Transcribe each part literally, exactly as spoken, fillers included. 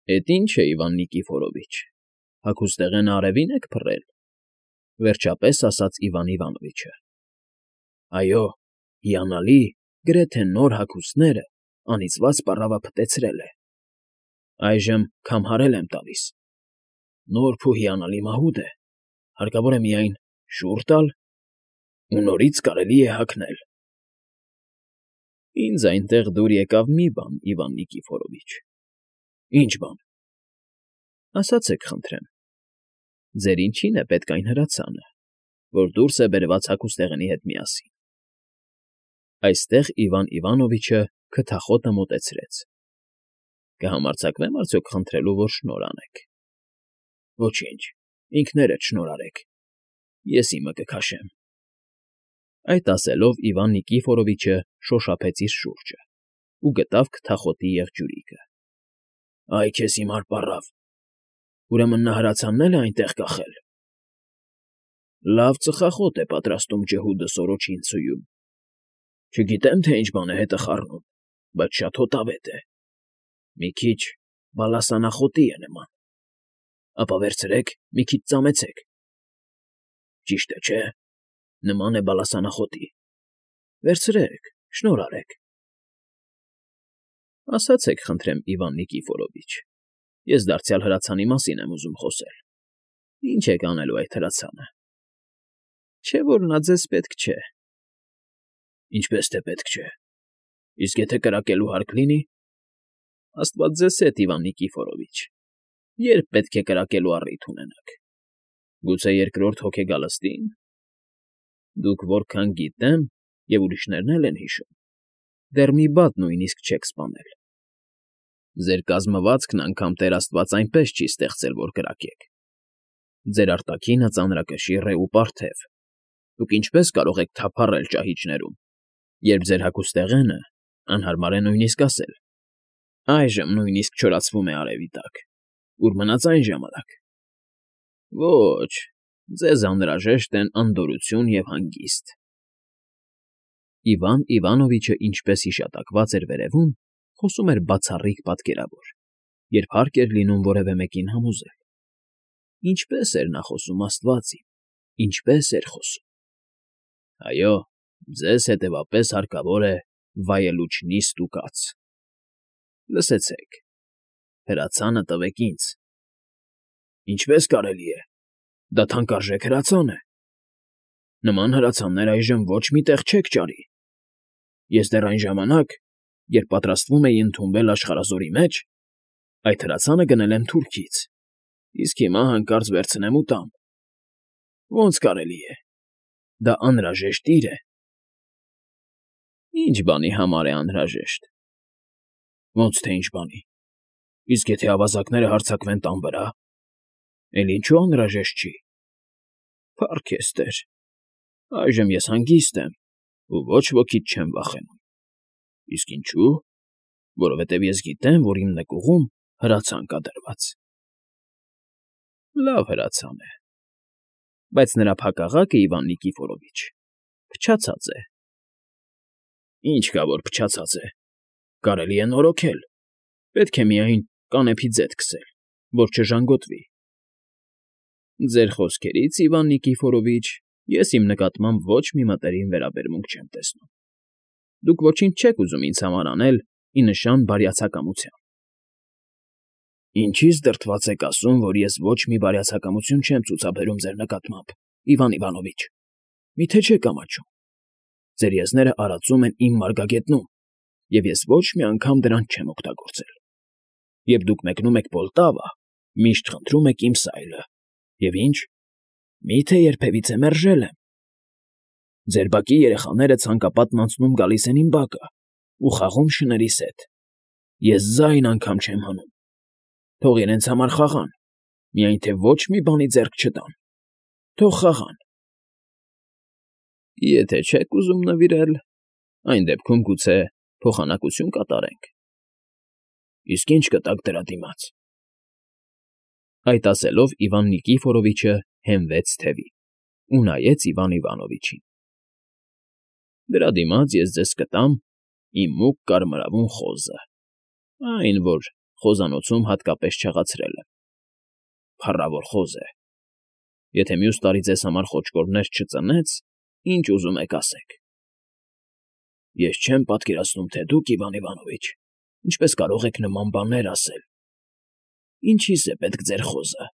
Էդ ի՞նչ է, Իվան Նիկիֆորովիչ, հագուստեղենը արևի՞ն եք փռել,֊ վերջապես ասաց Իվան Իվանովիչը։ ֊ Այո, հիանալի, գրեթե նոր հագուստները անիծված պառավափտեցրել է, այժմ քամհարել եմ տալիս, նորբ ու հիանալի մահուդ է, հարկավոր է միայն շուռ տալ, ու նորից կարելի է հագնել։ ֊ Ինձ այնտեղ դուր եկավ մի բան, Իվան Նիկիֆորովիչ։ ֊ Ի՞նչ բան։ ֊ Ասացեք, խնդրեմ, ձեր ինչի՞ն է պետք այն հրացանը, որ դուրս է բերված հագուստեղենի հետ միասին։ Այստեղ Իվան Իվանովիչը քթախոտը մոտեցրեց։ ֊ Կհամարձակվե՞մ արդյոք խնդրելու, որ շնորհ անեք։ ֊ Ոչինչ, ինքներդ շնորհ արեք, ես իմը կքաշեմ։ Այդ ասելով Իվան Նիկիֆորովիչը շոշափեց իր շուրջը ու գտավ քթախոտի եղջյուրիկը։ ֊ Այ քեզ հիմար պառավ, ուրեմն նա հրացանն է այնտեղ կախել։ ֊ Լավ ծխախոտ է պատրաստում ջհուդը Սորոչինցուում, չգիտեմ, թե ինչ բան է հետը խառնում, բայց շատ հոտավետ է, մի քիչ բալասանախոտի է նման, ապա վերցրեք, մի քիչ ծամեցեք։ Ճիշտ է, չէ՞, նման է բալասանախոտի, վերցրեք, շնորհ արեք։ ֊ Ասացեք, խնդրեմ, Իվան Նիկիֆորովիչ, ես դարձյալ հրացանի մասին եմ ուզում խոսել, ի՞նչ եք անելու այդ հրացանը։ Չէ՞ որ նա ձեզ պետք չէ։ ֊ Ինչպես թե պետք չէ, իսկ եթե կրակելու հարկ լինի։ ֊ Աստված ձեզ հետ, Իվան Նիկիֆորովիչ, երբ պետք է կրակելու առիթ ունենաք։ Գուցե երկրորդ հոգեգալստի՞ն։ Դուք որքան գիտեմ, և ուրիշներն էլ են հիշում, դեռ մի բադ նույնիսկ չեք սպանել։ Ձեր կազմվածքն անգամ Տեր Աստված այնպես չի ստեղծել, որ կրակեք։ Ձեր արտաքինը ծանրակշիռ է ու պարթև, դուք ինչպես կարող եք թափառել ճահիճներում, երբ ձեր հագուստեղենը, անհարմար է նույնիսկ ասել, այժմ նույնիսկ չորացվում է արևի տակ, ուր մնաց այն ժամանակ։ Ոչ, ձեզ անհրաժեշտ են անդորրություն և հանգիստ։ Իվան Իվանովիչը ինչպես հիշատակված էր վերևում, խոսում էր բացառիկ պատկերավոր, երբ հարկ էր լինում որևէ մեկին համոզել։ Ինչպե՜ս էր նա խոսում, աստված իմ, ինչպե՜ս էր խոսում։ Այո, ձեզ հետևապես հարկավոր է վայելուչնի ստուգած։ Լսեցեք, հրացանը տվեք ինձ։ ֊ Ինչպե՞ս կարելի է, դա թանկարժեք հրացան է։ Նման հրացաններ այժմ ոչ մի տեղ չեք ճարի։ Ես դեռ այն ժամանակ, երբ պատրաստվում էի ընդունվել աշխարհազորի մեջ, այդ հրացանը գնել եմ Թուրքից, իսկ հիմա հանկարծ վերցնեմ ու տամ։ Ոնց կարելի է, դա անհրաժեշտ իր է։ ֊ Ի՞նչ բանի համար է անհրաժեշտ։ ֊ Ոնց թե ինչ բանի, իսկ եթե ավազակները հարձակվեն տան վրա, էլ ինչու անհրաժեշտ չի։ ֊ Փառք քեզ, Տեր, այժմ ես հանգիստ եմ ու ոչ ոքից չեմ վախենում։ ֊ Իսկ ինչու՞։ Որովհետև ես գիտեմ, որ իմ նկուղում հրացան կա դրված։ ֊ Լավ հրացան է, բայց նրա փակաղակը, Իվան Նիկիֆորովիչ, փչացած է։ ֊ Ինչ կա, որ փչացած է, կարելի է նորոգել, պետք է միայն կանեփի ձեթ քսել, որ չժանգոտվի։ ֊ Ձեր խոսքերից, Իվան Նիկիֆորովիչ, ես իմ նկատմամբ ոչ մի մտերիմ վերաբերմունք չեմ տեսնում։ Դուք ոչինչ չեք ուզում ինձ համար անել ի նշան բարյացակամության։ ֊ Ինչի՞ց դրդված եք ասում, որ ես ոչ մի բարյացակամություն չեմ ցուցաբերում ձեր նկատմամբ, Իվան Իվանովիչ, մի՞թե չեք ամաչում։ Ձեր եզները արածում են իմ մարգագետնում, և ես ոչ մի անգամ դրանց չեմ օգտագործել։ Երբ դուք մեկնում եք Պոլտավա, միշտ խնդրում եք իմ սայլը, և ինչ, մի՞թե երբևիցե մերժել եմ։ Ձեր բակի երեխաները ցանկապատն անցնում գալիս են իմ բակը ու խաղում շներիս հետ։ Ես ձայն անգամ չեմ հանում։ Թող իրենց համար խաղան, միայն թե ոչ մի բանի ձեռք չտան։ Թող խաղան։ ֊ Եթե չեք ուզում նվիրել, այն դեպքում գուցե փոխանակություն կատարենք։ ֊ Իսկ ի՞նչ կտաք դրա դիմաց։ Այդ ասելով Իվան Նիկիֆորովիչը հենվեց թևի ու նայեց Իվան Իվանովիչին։ ֊ Դրա դիմաց ես ձեզ կտամ իմ մուգ կարմրավուն խոզը, այն, որ խոզանոցում հատկապես չեղացրել եմ։ Փառավոր խոզ է։ Եթե մյուս տարի ձեզ համար խոճկորներ չծնեց, ինչ ուզում եք ասեք։ Ես չեմ պատկերացնում, թե դուք, Իվան Իվանովիչ, ինչպես կարող եք նման բաներ ասել։ Ինչի՞ս է պետք ձեր խոզը։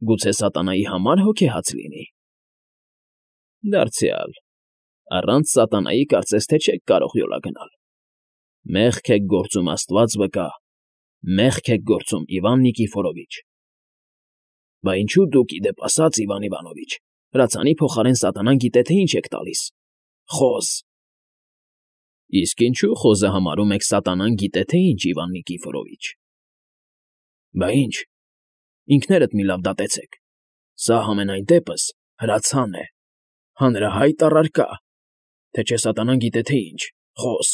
Գուցե սատանայի համար հոգեհաց լինի։ Դարձյալ, առանց սատանայի կարծես թե չեք կարող յոլա գնալ։ Մեղք եք գործում, Աստված վկա, մեղք եք գործում, Իվան Նիկիֆորովիչ։ Բա ինչու դուք, ի դեպ ասած, Իվան Իվանովիչ, հրացանի փոխարեն սատանան գիտե թե ինչ եք տալիս։ Խոզ։ Իսկ ինչու խոզը համարում եք սատանան գիտե թե ինչ, Իվան Նիկիֆորովիչ։ Բա ինչ, ինքներդ մի լավ դատեցեք։ Սա համենայն դեպս հրացան է, հանրահայտ առարկա, թե չէ սատանան գիտե թե ինչ, խոզ։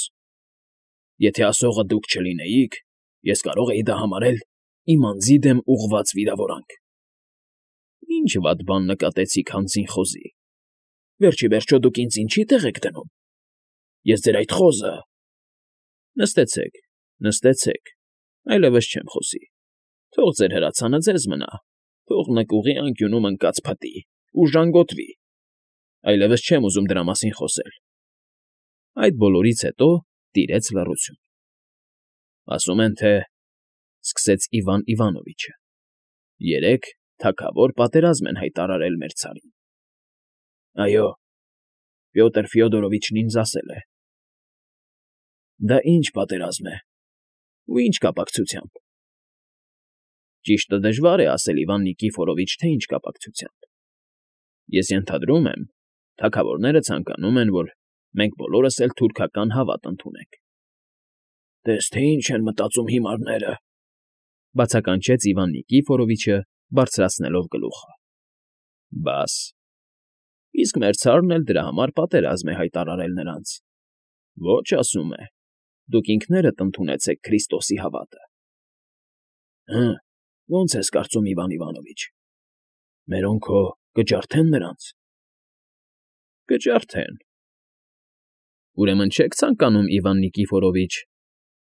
Եթե ասողը դուք չլինեիք, ես կարող էի դա համարել իմ անձի դեմ ուղղված վիրավորանք։ Ինչ վատ բան նկատեցիք հանձին խոզի։ Վերջի վերջո դուք ինձ ինչի տեղ եք դնում։ Ես ձեր այդ խոզը… Նստեցեք, նստեցեք, այլևս չեմ խոսի։ Թող ձեր հրացանը ձեզ մնա, թող նկուղի անկյունում ընկած փտի ու ժանգոտվի։ Այլևս չեմ ուզում դրա մասին խոսել։ Այդ բոլորից հետո տիրեց լռություն։ Ասում են, թե… սկսեց Իվան Իվանովիչը, երեք թագավոր պատերազմ են հայտարարել մեր ցարին։ Այո, Պյոտր Ֆյոդորովիչն ինձ ասել է։ Դա ինչ պատերազմ է, ու ինչ կապակցությամբ։ Ճիշտը դժվար է ասել, Իվան Նիկիֆորովիչ, թե ինչ կապակցությամբ։ Ես ենթադրում եմ, թագավորները ցանկանում են, որ մենք բոլորս էլ թուրքական հավատ ընդունենք։ Տես թե ինչ են մտածում հիմարները, բացականչեց Իվան Նիկիֆորովիչը, բարձրացնելով գլուխը։ Բաս, իսկ մեր ցարն էլ դրա համար պատերազմ է հայտարարել նրանց։ Ոչ, ասում է, դուք ինքներդ ընդունեցեք Քրիստոսի հավատը։ Հը, ո՞նց ես կարծում, Իվան Իվանովիչ, մերոնք հո կջարդեն նրանց։ Կջարդեն։ Ուրեմն չեք ցանկանում, Իվան Նիկիֆորովիչ,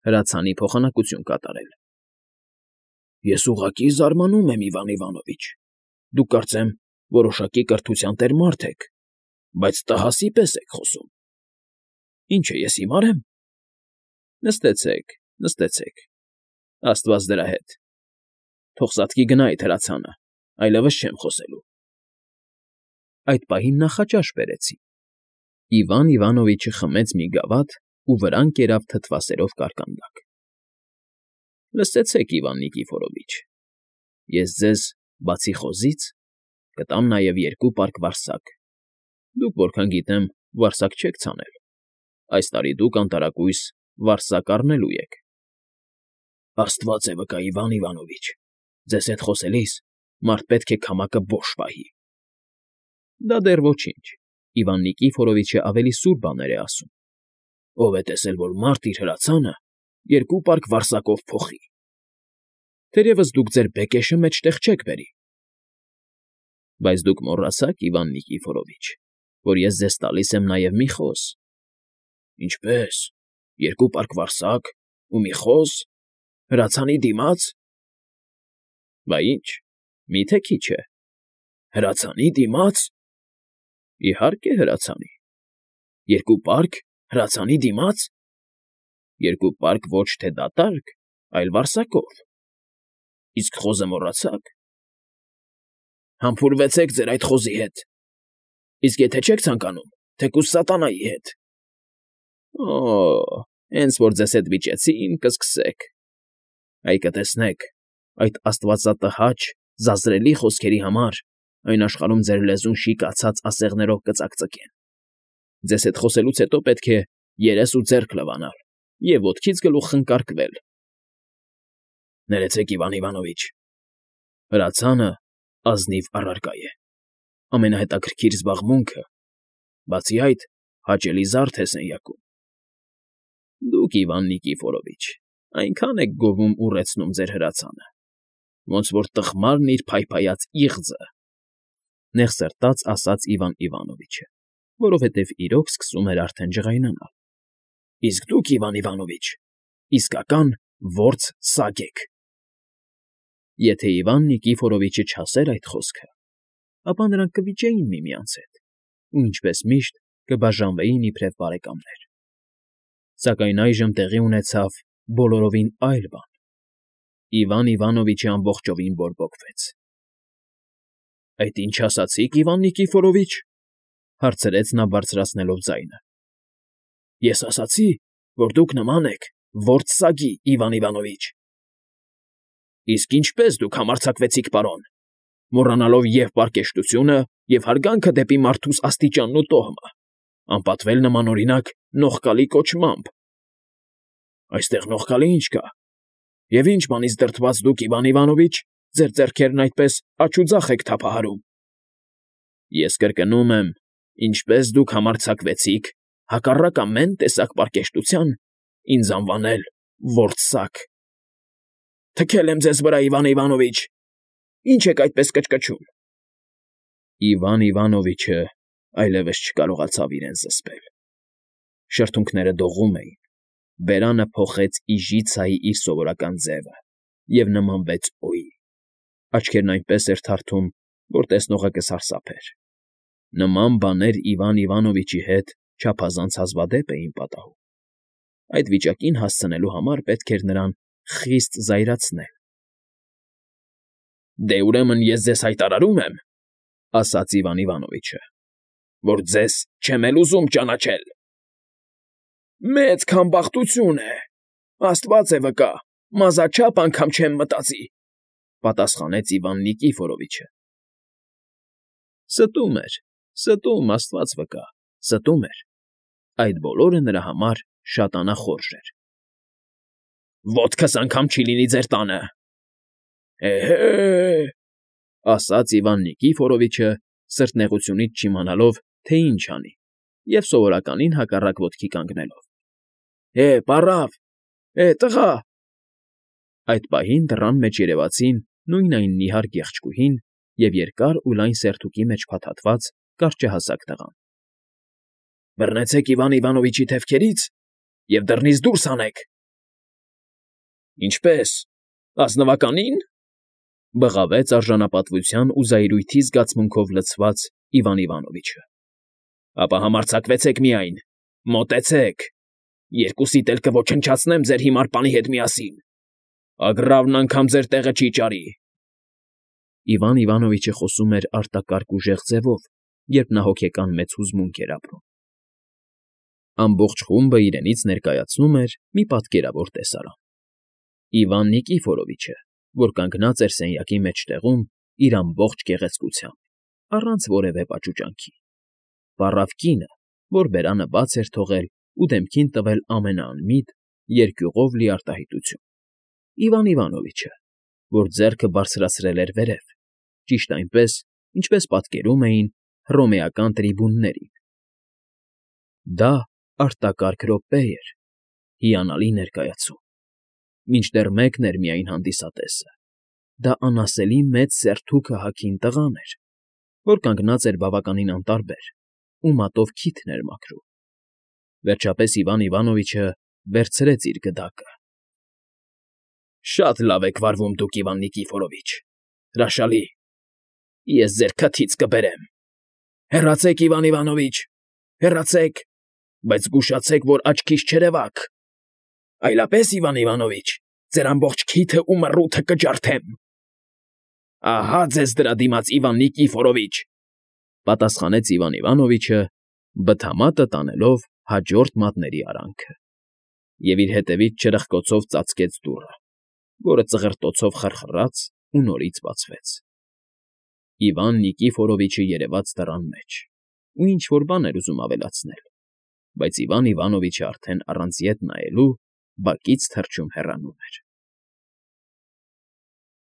հրացանի փոխանակություն կատարել։ Ես ուղղակի զարմանում եմ, Իվան Իվանովիչ, դուք կարծեմ որոշակի կրթության տեր մարդ եք, բայց տհասի պես եք խոսում։ Ինչ է, ես հիմար եմ։ Նստեցեք, նստեցեք, Աստված դրա հետ։ Թող սատկի գնա այդ հրացանը, այլևս չեմ խոսելու։ Այդ պահին նախաճաշ բերեցին։ Իվան Իվանովիչը խմեց մի գավաթ ու վրան կերավ թթվասերով կարկանդակ։ Լսեցեք, Իվան Նիկիֆորովիչ, ես ձեզ, բացի խոզից, կտամ նաև երկու պարկ վարսակ։ Դուք, որքան գիտեմ, վարսակ չեք ցանել։ Այս տարի դուք անտարակույս վարսակ առնելու եք։ Աստված է վկա, Իվան Իվանովիչ, ձեզ հետ խոսելիս մարդ պետք է քամակը բոշ պահի։ Դա դեռ ոչինչ, Իվան Նիկիֆորովիչը ավելի սուր բաներ է ասում։ Ով է տեսել, որ մարդ իր հրացանը երկու պարկ վարսակով փոխի։ Թերևս դուք ձեր բեկեշը մեջտեղ չեք բերի։ Բայց դուք մոռացաք, Իվան Նիկիֆորովիչ, որ ես ձեզ տալիս եմ նաև մի խոզ։ Ինչպե՞ս, երկու պարկ վարսակ ու մի խոզ… հրացանի դիմաց։ Բա ինչ, մի՞թե քիչ է։ Հրացանի դիմաց։ Իհարկե, հրացանի։ Երկու պարկ հրացանի դիմաց։ Երկու պարկ ոչ թե դատարկ, այլ վարսակով։ Իսկ խոզը մոռացաք։ Համբուրվեցեք ձեր այդ խոզի հետ։ Իսկ եթե չեք ցանկանում, թեկուզ սատանայի հետ։ Օ՜, հենց որ ձեզ հետ վիճեցին, կսկսեք։ Այ կտեսնեք, այդ աստվածատհաճ, զազրելի խոսքերի համար այն աշխարհում ձեր լեզուն շիկացած ասեղներով կծակծկեն։ Ձեզ հետ խոսելուց հետո պետք է երես ու ձեռք լվանալ և ոտքից գլուխ խնկարկվել։ Ներեցեք, Իվան Իվանովիչ, հրացանը ազնիվ առարկա է, ամենահետաքրքիր զբաղմունքը, բացի այդ, հաճելի զարդ է սենյակում։ Դուք, Իվան Նիկիֆորովիչ, այնքան եք գովում ուռեցնում ձեր հրացանը, ոնց որ տխմարն իր փայփայած իղձը, նեղսրտած ասաց Իվան Իվանովիչը, որովհետև իրոք սկսում էր արդեն ջղայնանալ։ Իսկ դուք, Իվան Իվանովիչ, իսկական Որց սագ եք։ Եթե Իվան Նիկիֆորովիչը չասեր այդ խոսքը, ապա նրանք կվիճեին միմյանց հետ ու, ինչպես միշտ, կբաժանվեին իբրև բարեկամներ։ Սակայն այժմ տեղի ունեցավ բոլորովին այլ բան։ Իվան Իվանովիչը ամբողջովին բորբոքվեց։ ֊ Այդ ինչ ասացիք, Իվան Նիկիֆորովիչ,֊ հարցրեց նա բարձրացնելով ձայնը։ ֊ Ես ասացի, որ դուք նման եք որց սագի, Իվան Իվանովիչ։ ֊ Իսկ ինչպե՞ս դուք համարձակվեցիք, պարոն, մոռանալով և՛ պարկեշտությունը, և՛ հարգանքը դեպի մարդուս աստիճանն ու տոհմը, անպատվել նմանօրինակ նողկալի կոչմամբ։ ֊ Այստեղ նողկալի ինչ կա, և ինչ բանից դրդված դուք, Իվան Իվանովիչ, ձեր ձեռքերն այդպես աջ ու ձախ եք թափահարում։ ֊ Ես կրկնում եմ, ինչպես դուք համարձակվեցիք, հակառակ ամեն տեսակ պարկեշտության, ինձ անվանել որց սագ։ ֊ Թքել եմ ձեզ վրա, Իվան Իվանովիչ, ինչ եք այդպես կչկչում։ Իվան Իվանովիչը այլևս չկարողացավ իրեն զսպել. շրթունքները դողում էին, բերանը փոխեց իժիցայի իր սովորական ձևը և նմանվեց օյի, աչքերն այնպես էր թարթում, որ տեսնողը կսարսափեր։ Նման բաներ Իվան Իվանովիչի հետ չափազանց հազվադեպ էին պատահում։ Այդ վիճակին հասցնելու համար պետք էր նրան խիստ զայրացնել։ ֊ Դե, ուրեմն ես ձեզ հայտարարում եմ,֊ ասաց Իվան Իվանովիչը,֊ որ ձեզ չեմ էլ ուզում ճանաչել։ ֊ Մեծ քամբախտություն է, աստված է վկա, մազաչափ անգամ չեմ մտածի,֊ պատասխանեց Իվան Նիկիֆորովիչը։ Ստում էր, ստում, աստված վկա, ստում էր. այդ բոլորը նրա համար շատ անախորժ էր։ ֊ Ոտքս անգամ չի լինի ձեր տանը։ ֊ Էհե՜,֊ ասաց Իվան Նիկիֆորովիչը, սրտնեղությունից չիմանալով, թե ինչ անի, և սովորականին հակառակ ոտքի կանգնելով։ ֊ Հե՜, պառավ, հե՜, տղա… Այդ պահին դռան մեջ երևացին նույն այն նիհար գեղեցկուհին և երկար ու լայն սերթուկի մեջ փաթաթված կարճահասակ տղան։ ֊ Բռնեցեք Իվան Իվանովիչի թևքերից և դռնից դուրս հանեք։ ֊ Ինչպե՞ս, ազնվականի՞ն,֊ բղավեց արժանապատվության ու զայրույթի զգացմունքով լցված Իվան Իվանովիչը։ ֊ Ապա համարձակվեցեք միայն, մոտեցեք, երկուսիդ էլ կոչնչացնեմ ձեր հիմար պանի հետ միասին, ագռավն անգամ ձեր տեղը չի ճարի… Իվան Իվանովիչը խոսում էր արտակարգ ուժեղ ձևով, երբ նա հոգեկան մեծ հուզմունք էր ապրում։ Ամբողջ խումբը իրենից ներկայացնում էր մի պատկերավոր տեսարան. Իվան Նիկիֆորովիչը, որ կանգնած էր սենյակի մեջտեղում իր ամբողջ գեղեցկությամբ, առանց որևէ պաճուճանքի, պառավ կինը, որ բերանը բաց էր թողել ու դեմքին տվել ամենաանմիտ, երկյուղով լի արտահայտություն, Իվան Իվանովիչը, որ ձեռքը բարձրացրել էր վերև, ճիշտ այնպես, ինչպես պատկերում էին հռոմեական տրիբուններին։ Դա արտակարգ րոպե էր, հիանալի ներկայացում։ Մինչդեռ մեկն էր միայն հանդիսատեսը. դա անասելի մեծ սերթուկը հագին տղան էր, որ կանգնած էր բավականին անտարբեր ու մատով քիթն էր մաքրում։ Վերջապես Իվան Իվանովիչը վերցրեց իր գդակը։ ֊ Շատ լավ եք վարվում դուք, Իվան Նիկիֆորովիչ, հրաշալի… Ես ձեր քթից կբերեմ… Հեռացեք, Իվան Իվանովիչ, հեռացեք, բայց զգուշացեք, որ աչքիս չերևաք… Այլապես, Իվան Իվանովիչ, ձեր ամբողջ քիթը ու մռութը կջարդեմ… ֊ Ահա ձեզ դրա դիմաց, Իվան Նիկիֆորովիչ,֊ պատասխանեց Իվան Իվանովիչը, բթամատը տանելով հաջորդ մատների արանքը, և իր հետևից չրպկոցով ծածկեց դուռը, որը ծղրտոցով խրխռաց ու նորից բացվեց։ Իվան Նիկիֆորովիչը երևաց դռան մեջ ու ինչ֊որ բան էր ուզում ավելացնել, բայց Իվան Իվանովիչը արդեն առանց ետ նայելու բակից թռչում հեռանում էր։